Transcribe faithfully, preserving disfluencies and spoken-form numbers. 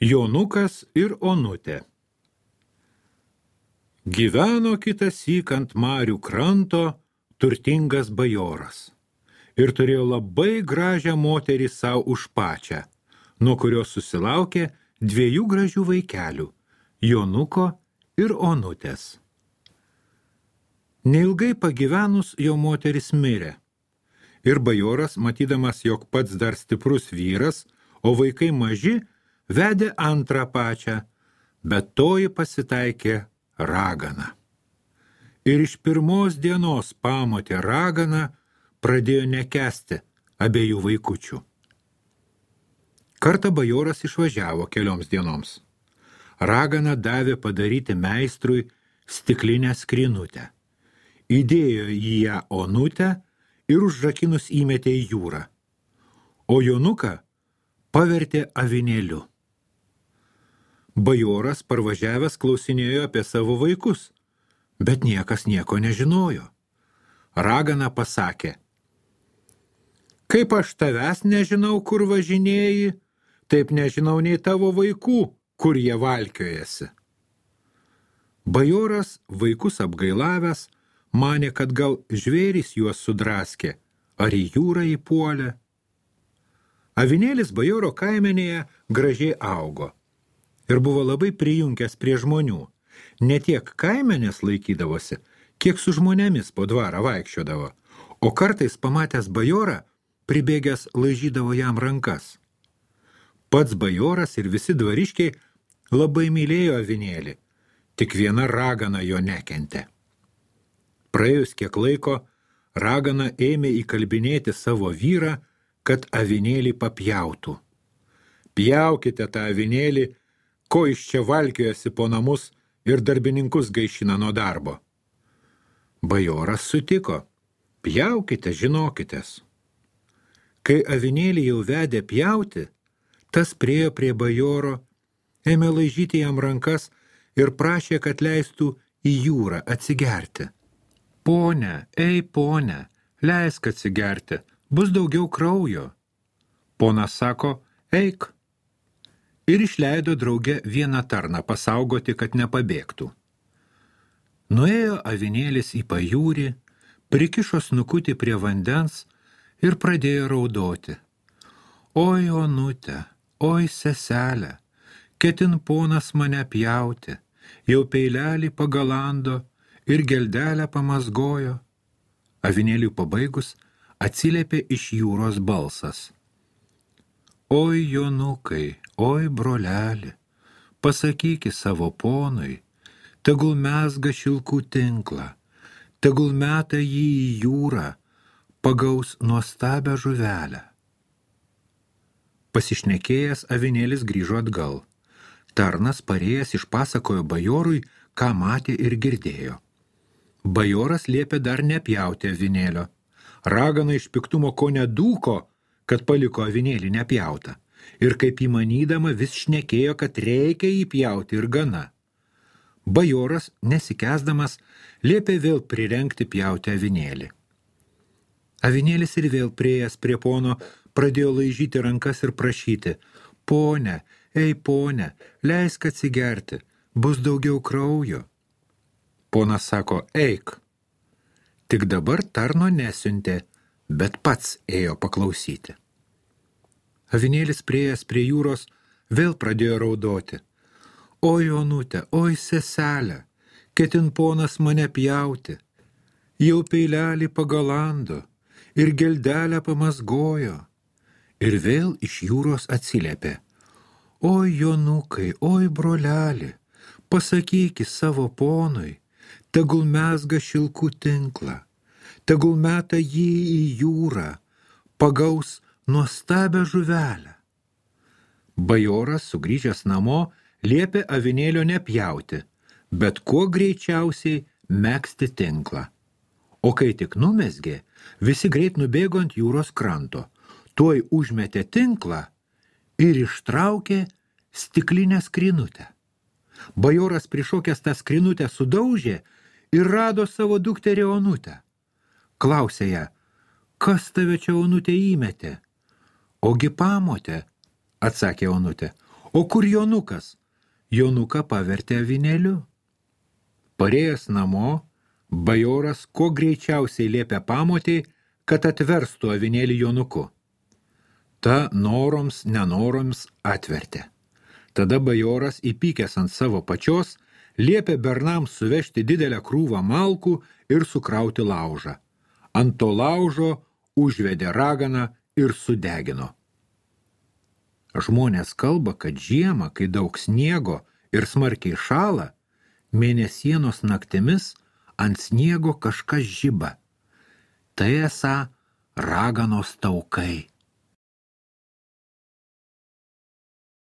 Jonukas ir Onutė. Gyveno kitąsyk ant marių kranto turtingas bajoras ir turėjo labai gražią moterį savo už pačią, nuo kurios susilaukė dviejų gražių vaikelių – Jonuko ir Onutės. Neilgai pagyvenus jo moteris mirė ir bajoras, matydamas, jog pats dar stiprus vyras, o vaikai maži, vedė antrą pačią, bet toji pasitaikė ragana. Ir iš pirmos dienos pamotė ragana pradėjo nekęsti abiejų vaikučių. Kartą bajoras išvažiavo kelioms dienoms. Ragana davė padaryti meistrui stiklinę skrynutę. Įdėjo į ją Onutę ir užrakinus įmetė į jūrą, o Jonuką pavertė avinėliu. Bajoras parvažiavęs klausinėjo apie savo vaikus, bet niekas nieko nežinojo. Ragana pasakė: kaip aš tavęs nežinau, kur važinėji, taip nežinau nei tavo vaikų, kur jie valkiojasi. Bajoras, vaikus apgailavęs, manė, kad gal žvėrys juos sudraskė, ar į jūrą įpuolė. Avinėlis bajoro kaimenėje gražiai augo ir buvo labai prijunkęs prie žmonių. Ne tiek kaimenės laikydavosi, kiek su žmonėmis po dvarą vaikščiodavo, o kartais pamatęs bajorą, pribėgęs laižydavo jam rankas. Pats bajoras ir visi dvariškiai labai mylėjo avinėlį, tik viena ragana jo nekentė. Praėjus kiek laiko, ragana ėmė įkalbinėti savo vyrą, kad avinėlį papjautų. Pjaukite tą avinėlį, ko iš čia valkiojasi po namus ir darbininkus gaišina nuo darbo. Bajoras sutiko: pjaukite, žinokitės. Kai avinėlį jau vedė pjauti, tas priėjo prie bajoro, ėmė laižyti jam rankas ir prašė, kad leistų į jūrą atsigerti. Pone, ei pone, leisk atsigerti, bus daugiau kraujo. Ponas sako: eik. Ir išleido drauge vieną tarną pasaugoti, kad nepabėgtų. Nuėjo avinėlis į pajūrį, prikišo snukutį prie vandens ir pradėjo raudoti. Oi, Onutė, oi, seselė, ketin ponas mane pjauti, jau peilelį pagalando ir geldelę pamazgojo. Avinėliui pabaigus atsiliepė iš jūros balsas: oi, Jonukai, oi, broleli, pasakyki savo ponui, tegul mezga šilkų tinklą, tegul meta jį į jūrą, pagaus nuostabią žuvelę. Pasišnekėjęs avinėlis grįžo atgal. Tarnas parėjęs išpasakojo bajorui, ką matė ir girdėjo. Bajoras liepė dar nepjauti avinėlio. Ragana iš piktumo ko nedūko, kad paliko avinėlį nepjautą, ir kaip įmanydama vis šnekėjo, kad reikia jį pjauti ir gana. Bajoras, nesikęsdamas, liepė vėl prirengti pjauti avinėlį. Avinėlis ir vėl priėjęs prie pono pradėjo laižyti rankas ir prašyti: pone, ei pone, leisk atsigerti, bus daugiau kraujo. Ponas sako: eik. Tik dabar tarno nesiuntė, bet pats ėjo paklausyti. Avinėlis priėjęs prie jūros vėl pradėjo raudoti. Oi, Onutė, oi, seselė, ketin ponas mane pjauti, jau peilelį pagalando ir geldelę pamazgojo. Ir vėl iš jūros atsiliepė: oi, Jonukai, oi, broleli, pasakyki savo ponui, tegul mezga šilkų tinklą, tegul meta jį į jūrą, pagaus nuostabią žuvelę. Bajoras, sugrįžęs namo, liepė avinėlio nepjauti, bet kuo greičiausiai megzti tinklą. O kai tik numezgė, visi greit nubėgo ant jūros kranto, tuoj užmetė tinklą ir ištraukė stiklinę skrynutę. Bajoras prišokęs tą skrynutę sudaužė ir rado savo dukterį Onutę. Klausė ją: kas tave čia, Onutė, įmetė? Ogi pamotė, atsakė Onutė, O kur Jonukas? Jonuką pavertė avinėliu. Parėjęs namo, bajoras kuo greičiausiai liepė pamotei, kad atverstų avinėlį Jonuku. Ta noroms, nenoroms atvertė. Tada bajoras, įpykęs ant savo pačios, liepė bernams suvežti didelę krūvą malkų ir sukrauti laužą. Ant to laužo užvedė raganą ir sudegino. Žmonės kalba, kad žiemą, kai daug sniego ir smarkiai šąla, mėnesienos naktimis ant sniego kažkas žiba. Tai esą raganos taukai.